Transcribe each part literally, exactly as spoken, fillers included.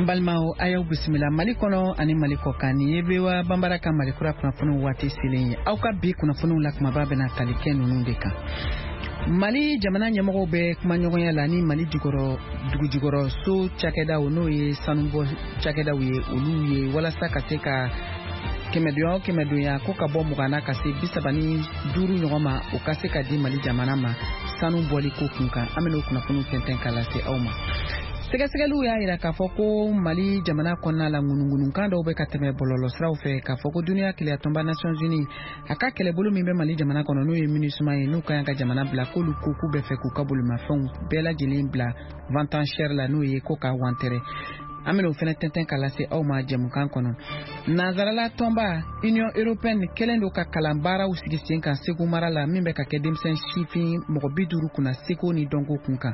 An balimaw, a y'aw bisimila Mali kɔnɔ ani Mali kɔkan. Nin ye V O A Banbara ka Mali kura kunnafoniw waati selen ye. Aw ka bi kunnafoniw la, kumaba bɛna tali kɛ ninnu de kan: Mali jamana ɲɛmɔgɔw bɛ kumaɲɔgɔnya la ni Mali jukɔrɔ dugujukɔrɔ so cakɛdaw, n'o ye sanubɔ cakɛdaw ye, olu ye, walasa ka se ka kɛmɛdonya o kɛmɛdonya ko ka bɔ mugan na ka se bi saba ni duuru ɲɔgɔn ma, o ka se ka di Mali jamana ma sanu bɔli ko kun kan. An bɛn'o kunnafoniw tɛntɛn ka lase aw ma. Sɛgɛsɛgɛliw y'a yira k'a fɔ ko Mali jamana kɔnɔna la, ŋunuŋunukan dɔw bɛ ka tɛmɛ bɔlɔlɔsiraw fɛ k'a fɔ ko Duniya Kelenyatɔnba, Nations Unies, a ka kɛlɛbolo min bɛ Mali jamana kɔnɔ, n'o ye MINUSMA ye, n'u ka kan ka jamana bila, k'olu ko k'u bɛ fɛ k'u ka bolimafɛnw bɛɛ lajɛlen bila vente enchère la, n'o ye ko k'a wantɛrɛ. An bɛn'o fɛnɛ tɛntɛn ka lase aw ma jɛmukan kɔnɔ. Nanzarala tɔnba Union européenne kɛlen don ka kalan baaraw sigi sen kan Segu mara la, min bɛ ka kɛ denmisɛn sifin mɔgɔ bi duuru kunna, seko ni dɔnko kun kan.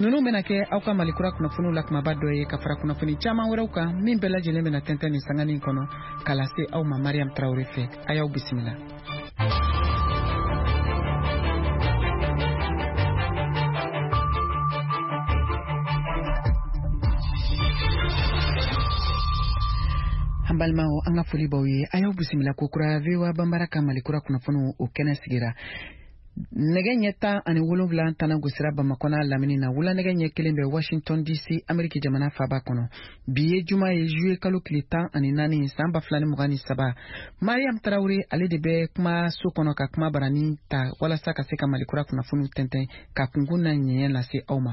Ninnu bɛna kɛ aw ka Mali kura kunnafoniw la kumaba dɔ ye, ka fara kunnafoni caman wɛrɛw kan min bɛɛ lajɛlen bɛna tɛntɛn nin sanganin kɔnɔ ka lase aw ma Mariam Tarawele fɛ. A y'aw bisimila. An balimaw, an ka foli b'aw ye. A y'aw bisimila kokura V O A Banbara ka Mali kura kunnafoniw o kɛnɛ sigira. Nɛgɛ ɲɛ tan ani wolonwula tana gosira Bamakɔ n'a lamini na, wula nɛgɛ ɲɛ kelen bɛ Washington D C, Ameriki jamana faba kɔnɔ. Bi ye juma ye, juye kalo tile tan ani naani, san ba fila ni mugan ni saba. Mariam Tarawure, ale de bɛ kuma so kɔnɔ ka kuma barani ta walasa ka se ka Mali kura kunnafoniw tɛntɛn ka kunkun na ɲɛɲɛ lase aw ma.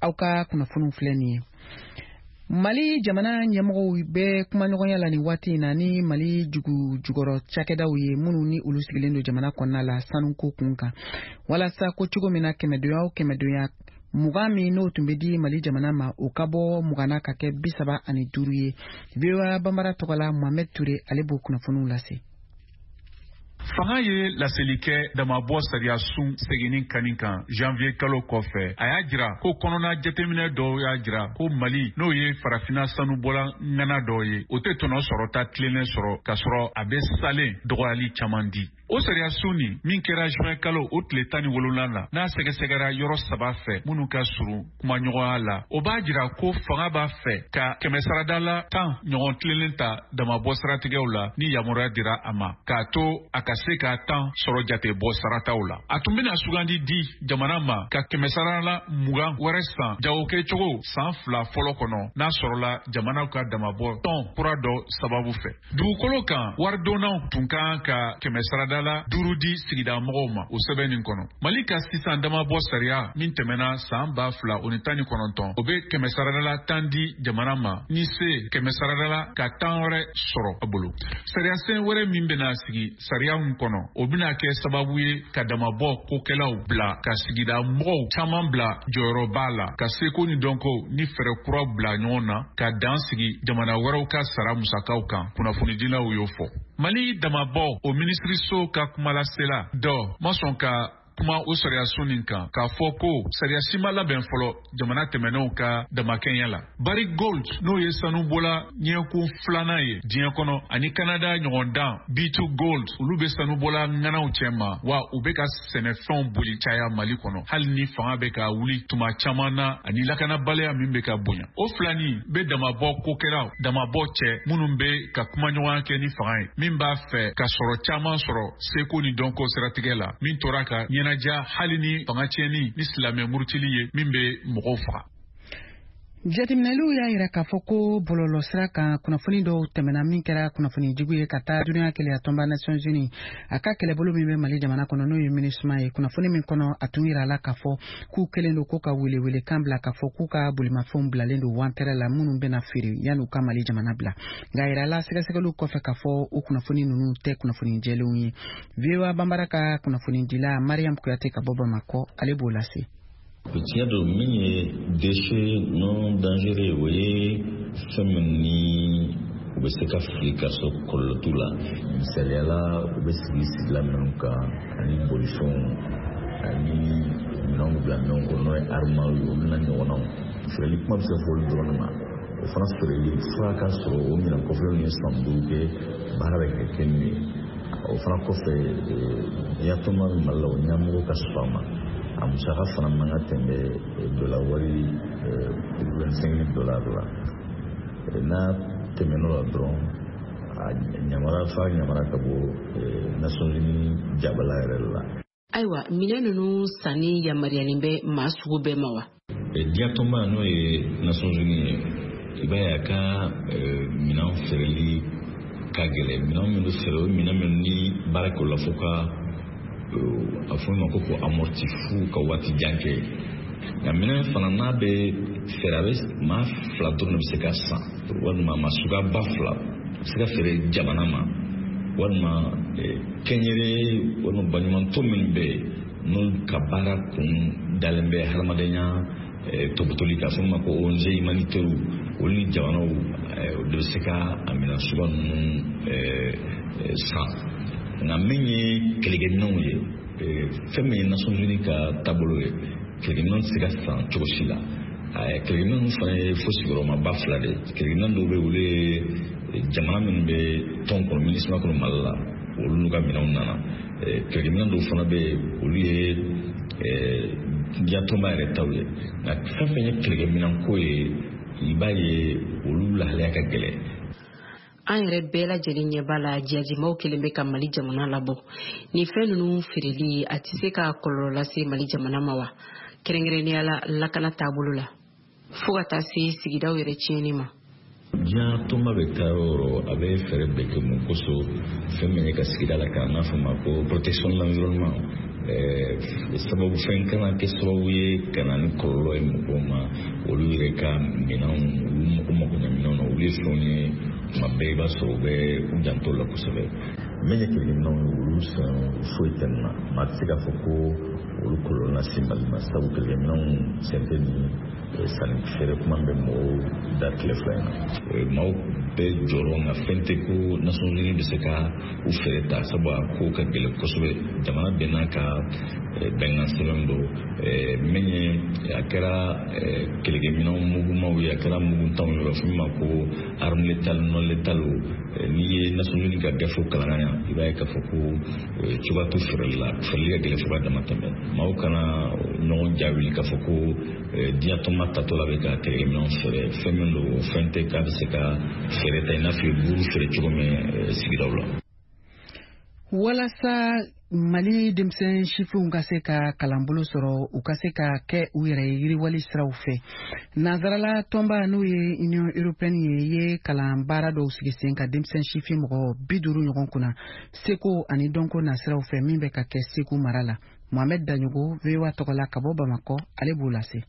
Aw ka kunnafoniw filɛ nin ye: Mali jamana ɲɛmɔgɔw bɛ kumaɲɔgɔnya la nin waati in na ni Mali dugu jukɔrɔ cakɛdaw ye, minnu ni olu sigilen don jamana kɔnɔna la, sanuko kun kan, walasa ko cogo min na kɛmɛdonya o kɛmɛdonya mugan min n'o tun bɛ di Mali jamana ma, o ka bɔ mugan na ka kɛ bi saba ani duuru ye. V O A Banbara tɔgɔ la, Mohamed Ture, ale b'o kunnafoniw lase. Fanga ye laseli kɛ damabɔ sariya sun seginni kani kan janvier kalo kɔfɛ. A y'a jira ko kɔnɔna jateminɛ dɔw y'a jira ko Mali, n'o ye Farafina sanubɔla ŋana dɔ ye, o tɛ tɔnɔ sɔrɔta tilennen sɔrɔ, k'a sɔrɔ a bɛ salen dɔgɔyali caman di. O sariya sun nin min kɛra juin kalo o tile tan ni wolonwula la, n'a sɛgɛsɛgɛra yɔrɔ saba fɛ minnu ka surun kumaɲɔgɔnya la, o b'a jira ko fanga b'a fɛ ka kɛmɛsarada la tan ɲɔgɔn tilennen ta damabɔ siratigɛw la, ni yamaruya dira a ma, k'a to a ka se ka tan sɔrɔ jate bɔ sarataw la. A tun bɛna sugandi di jamana ma ka kɛmɛsarala mugan wɛrɛ san jagokɛcogo san fila fɔlɔ kɔnɔ, n'a sɔrɔla jamanaw ka damabɔ tɔn kura dɔ sababu fɛ. Dugukolo kan waridonnaw tun kan ka kɛmɛsarada la duuru di sigida mɔgɔw ma o sɛbɛn nin kɔnɔ. Mali ka sisan damabɔ sariya min tɛmɛna san ba fila o ni tan ni kɔnɔntɔn, o bɛ kɛmɛsarada tan di jamana ma, ni se kɛmɛsarada ka tan wɛrɛ sɔrɔ a bolo. Sariyasen wɛrɛ min bɛna sigi sariya min kɔnɔ, o bɛna kɛ sababu ye ka damabɔ kokɛlaw bila ka sigida mɔgɔw caman bila jɔyɔrɔba la, ka seko ni dɔnko ni fɛɛrɛ kuraw bila ɲɔgɔn na, ka dan sigi jamana wɛrɛw ka sara musakaw kan, kunnafonidilaw y'o fɔ. Mali damabɔ o minisiriso ka kumalasela dɔ ma sɔn ka kuma o sariyasun nin kan, k'a fɔ ko sariya si ma labɛn fɔlɔ jamana tɛmɛnenw ka damakɛɲɛ la. Barrick Gold, n'o ye sanubɔla ɲɛkun filanan ye diɲɛ kɔnɔ, ani Kanada ɲɔgɔndan B two Gold, olu bɛ sanubɔla ŋanaw cɛma wa u bɛ ka sɛnɛfɛnw boli caya Mali kɔnɔ, hali ni fanga bɛ ka wuli tuma caman na ani lakanabaliya min bɛ ka bonya. O filani bɛ damabɔ kokɛlaw damabɔ cɛ minnu bɛ ka kumaɲɔgɔnya kɛ ni fanga ye, min b'a fɛ ka sɔrɔ caman sɔrɔ seko ni dɔnko siratigɛ la, min tora ka ɲɛnajɛ hali ni fanga tiɲɛni ni silamɛ murutili ye min bɛ mɔgɔw faga. Jateminɛliw y'a yira k'a fɔ ko bɔlɔlɔsira kan, kunnafoni dɔw tɛmɛna min kɛra kunnafoni jugu ye ka taa Duniya Keleya tɔnba, Nations Unies, a ka kɛlɛbolo min bɛ Mali jamana kɔnɔ, n'o ye MINUSMA ye. Kunnafoni min kɔnɔ, a tun yira la k'a fɔ k'u kɛlen don ko ka welewelekan bila k'a fɔ k'u ka bolimafɛnw bilalen don wantɛrɛ la, minnu bɛna feere yan'u ka Mali jamana bila. Nka yira la sɛgɛsɛgɛliw kɔfɛ k'a fɔ o kunnafoni ninnu tɛ kunnafoni jɛlenw ye. V O A Banbara ka kunnafonidila Mariam Kuyate ka bɔ Bamakɔ, ale b'o lase. Tiɲɛ don, min ye déchet non dangereux, o ye fɛn min ni u bɛ se ka fili ka sɔrɔ kɔlɔlɔ t'u la. Misaliyala, u bɛ sigi sigila minnu kan ani bolifɛnw ani minɛnw bila minɛnw kɔnɔ, n'o ye armoire ye, olu n'a ɲɔgɔnnaw. Feereli kuma bɛ se ka fɔ olu dɔrɔn de ma. O fana feereli fura ka sɔrɔ o minɛn kɔfɛlenw ye san duuru kɛ baara bɛ ka kɛ n'u ye. O fana kɔfɛ, yatɔma bɛ Mali la, o ɲɛmɔgɔ ka sɔrɔ a ma, a musaka fana man ka tɛmɛ dollar wari vingt-cinq mille dollars la. N'a tɛmɛn'o la dɔrɔn, a ɲamara fa ɲamara ka bɔ Nations Unies jabala yɛrɛ la. Ayiwa, minɛn ninnu sanni yamaruyalen bɛ maa sugu bɛɛ ma wa? Diɲɛ tɔnba, n'o ye Nations Unies ye, i b'a ye a ka minɛn feereli ka gɛlɛn. Minɛn minnu feere, o minɛn minnu ni baara kɛ o la fo ka a fɔ ma ko ko amorti fu ka waati jan kɛ. Nka minɛn fana n'a bɛ feere, a bɛ maa fila dɔrɔn de bɛ se ka san, walima maa suguya ba fila bɛ se ka feere jamana ma, walima kɛnyɛrɛye walima baɲumantɔ minnu bɛ yen, n'olu ka baara kun dalen bɛ hadamadenya tɔbɔtɔli kan, a fɔ ma ko O N G humanitaire, olu ni jamanaw de bɛ se ka a minɛn suguya ninnu san. Nka min ye kɛlɛkɛminɛnw ye, fɛn min ye Nations Unies ka taabolo ye, kɛlɛkɛminɛnw tɛ se ka san cogo si la. Kɛlɛkɛminɛnw fana ye fo sigiyɔrɔmaba fila de ye. Kɛlɛkɛminɛn dɔw bɛ yen, olu ye jamana minnu bɛ tɔn kɔnɔ, MINUSMA kɔnɔ Mali la, olu n'u ka minɛnw nana. Kɛlɛkɛminɛn dɔw fana bɛ yen, olu ye diɲɛ tɔnba yɛrɛ taw ye. Nka fɛn fɛn ye kɛlɛkɛminɛnko ye, i b'a ye olu lahalaya ka gɛlɛn. An yɛrɛ bɛɛ lajɛlen ɲɛ b'a la, jihadimaw kelen bɛ ka Mali jamana labɔ. Nin fɛn ninnu feereli, a tɛ se ka kɔlɔlɔ lase Mali jamana ma wa, kɛrɛnkɛrɛnnenya la lakana taabolo la, fo ka taa se sigidaw yɛrɛ tiɲɛni ma? Diɲɛ tɔnba bɛ taa yɔrɔ o yɔrɔ, a bɛ fɛɛrɛ bɛɛ kɛ mun kosɔn, fɛn min ye ka sigida la kan, n'a fɔ ma ko protection de l'environnement, sababu fɛn kana kɛ sababu ye ka na ni kɔlɔlɔ ye mɔgɔw ma, olu yɛrɛ ka minɛnw, olu mako makoɲɛ minɛnw na. Olu ye fɛnw ye, tuma bɛɛ i b'a sɔrɔ u bɛ u janto la kosɛbɛ. Min ye kɛlɛkɛminɛnw ye, olu san foyi tɛ nin na. Maa tɛ se k'a fɔ ko olu kɔlɔlɔ lase Mali ma, sabu kɛlɛkɛminɛnw sen tɛ nin sanni feere kuma bɛ mɔgɔw da tile fila in na. Maaw bɛɛ jɔrɔ, nka fɛn tɛ ko Nations Unies bɛ se ka u fɛɛrɛ ta, sabu a ko ka gɛlɛn kosɛbɛ. Jamana bɛɛ n'a ka bɛnkan sɛbɛn don. Min ye a kɛra kɛlɛkɛminɛnw mugumaw ye, a kɛra muguntanw ye, u b'a fɔ min ma ko arme létale, non létale, n'i ye Nations Unies ka gafew kalan ka ɲa, i b'a ye k'a fɔ ko cogoya t'u feereli la, feereli ka gɛlɛn fo ka dama tɛmɛ. Maaw kana ɲɔgɔn jaabi k'a fɔ ko diɲɛ tɔnba tatɔ la bɛ ka kɛlɛkɛminɛnw feere. Fɛn min don, o fɛn tɛ k'a bɛ se ka feere ta i n'a fɔ i ye buru feere cogo min sigidaw la. Walasa Mali denmisɛn sifinw ka se ka kalanbolo sɔrɔ, u ka se ka kɛ u yɛrɛ ye yiriwali siraw fɛ, nansarala tɔnba, n'o ye Union européenne ye, ye kalan baara dɔw sigi sen ka denmisɛn sifin mɔgɔ bi duuru ɲɔgɔn kunna, seko ani dɔnko nasiraw fɛ, min bɛ ka kɛ Segu mara la. Mohamed Daɲogo, V O A tɔgɔ la ka bɔ Bamakɔ, ale b'o lase.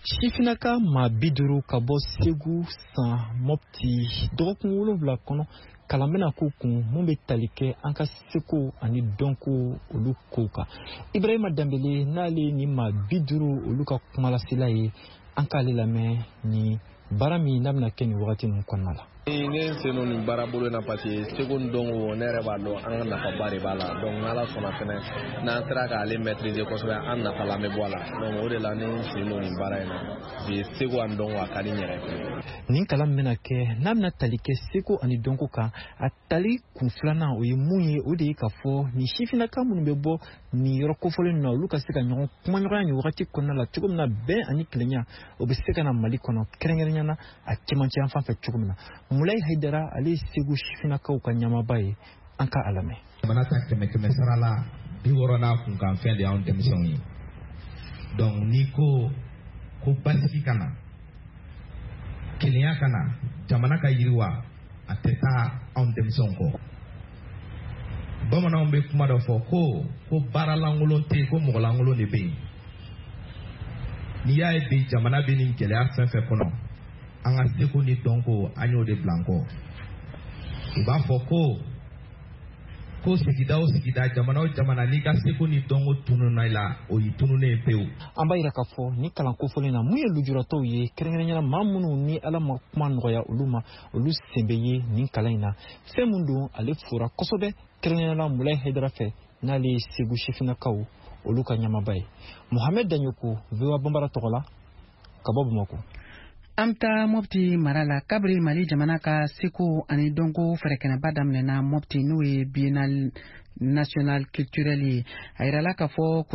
Sifinnaka maa bi duuru ka bɔ Segu san Mɔpti, dɔgɔkun wolonwula kɔnɔ, kalan bɛna k'u kun mun bɛ tali kɛ an ka seko ani dɔnko olu kow kan. Ibrahima Danbele, n'ale ni maa bi duuru olu ka kumalasela ye, an k'ale lamɛn ni baara min n'a bɛna kɛ nin wagati ninnu kɔnɔna la. Ne sen don nin baara bolo in na parce que seko ni dɔnko, ne yɛrɛ b'a dɔn an ka nafaba de b'a la. Donc n'Ala sɔnna fɛnɛ, n'an sera k'ale maîtriser kosɛbɛ, an nafalan bɛ bɔ a la. Donc o de la ne sen don nin baara in na, parce que seko ani dɔnko, a ka di n yɛrɛ ye. Nin kalan min bɛna kɛ, n'a bɛna tali kɛ seko ani dɔnko kan, a tali kun filanan o ye mun ye? O de ye k'a fɔ nin sifinnaka minnu bɛ bɔ nin yɔrɔ kofɔlen ninnu na, olu ka se ka ɲɔgɔn kumaɲɔgɔnya nin wagati kɔnɔna la cogo min na, bɛn ani kelenya o bɛ se ka na Mali kɔnɔ, kɛrɛnkɛrɛnnenya la a cɛmancɛ yan fan fɛ cogo min na. Mulayi Hayidara, ale ye Segu sifinnakaw ka ɲɛmaaba ye, an ka a lamɛn. Jamana ta kɛmɛ kɛmɛ sara la, bi wɔɔrɔ n'a kunkan fɛn de y'anw denmisɛnw ye. Donc n'i ko ko basigi ka na, kelenya ka na, jamana ka yiriwa, a tɛ taa anw denmisɛnw kɔ. Bamananw bɛ kuma dɔ fɔ ko ko baara lankolon tɛ yen, ko mɔgɔ lankolon de bɛ yen. N'i y'a ye bi jamana bɛ nin gɛlɛya fɛn fɛn kɔnɔ, an ka seko ni dɔnko, an y'o de bila an kɔ. U b'a fɔ ko ko sigida o sigida, jamana o jamana, n'i ka seko ni dɔnko tununna i la, o y'i tununnen ye pewu. An b'a yira k'a fɔ ni kalan kofɔlen na, mun ye lujuratɔw ye, kɛrɛnkɛrɛnnenya la maa minnu ni Ala ma kuma nɔgɔya olu ma, olu sen bɛ ye nin kalan in na. Fɛn min don, ale fora kosɛbɛ, kɛrɛnkɛrɛnnenya la Mulayi Hayidara fɛ, n'ale ye Segu sifinnakaw olu ka ɲɛmaaba ye. Mohamed Daɲoko, V O A Banbara tɔgɔ la ka bɔ Bamakɔ. An bɛ taa Mɔpti mara la. Kabiri Mali jamana ka seko ani dɔnko fɛrɛkɛnɛba daminɛna Mɔpti, n'o ye Biennale nationale culturelle ye, a yirala k'a fɔ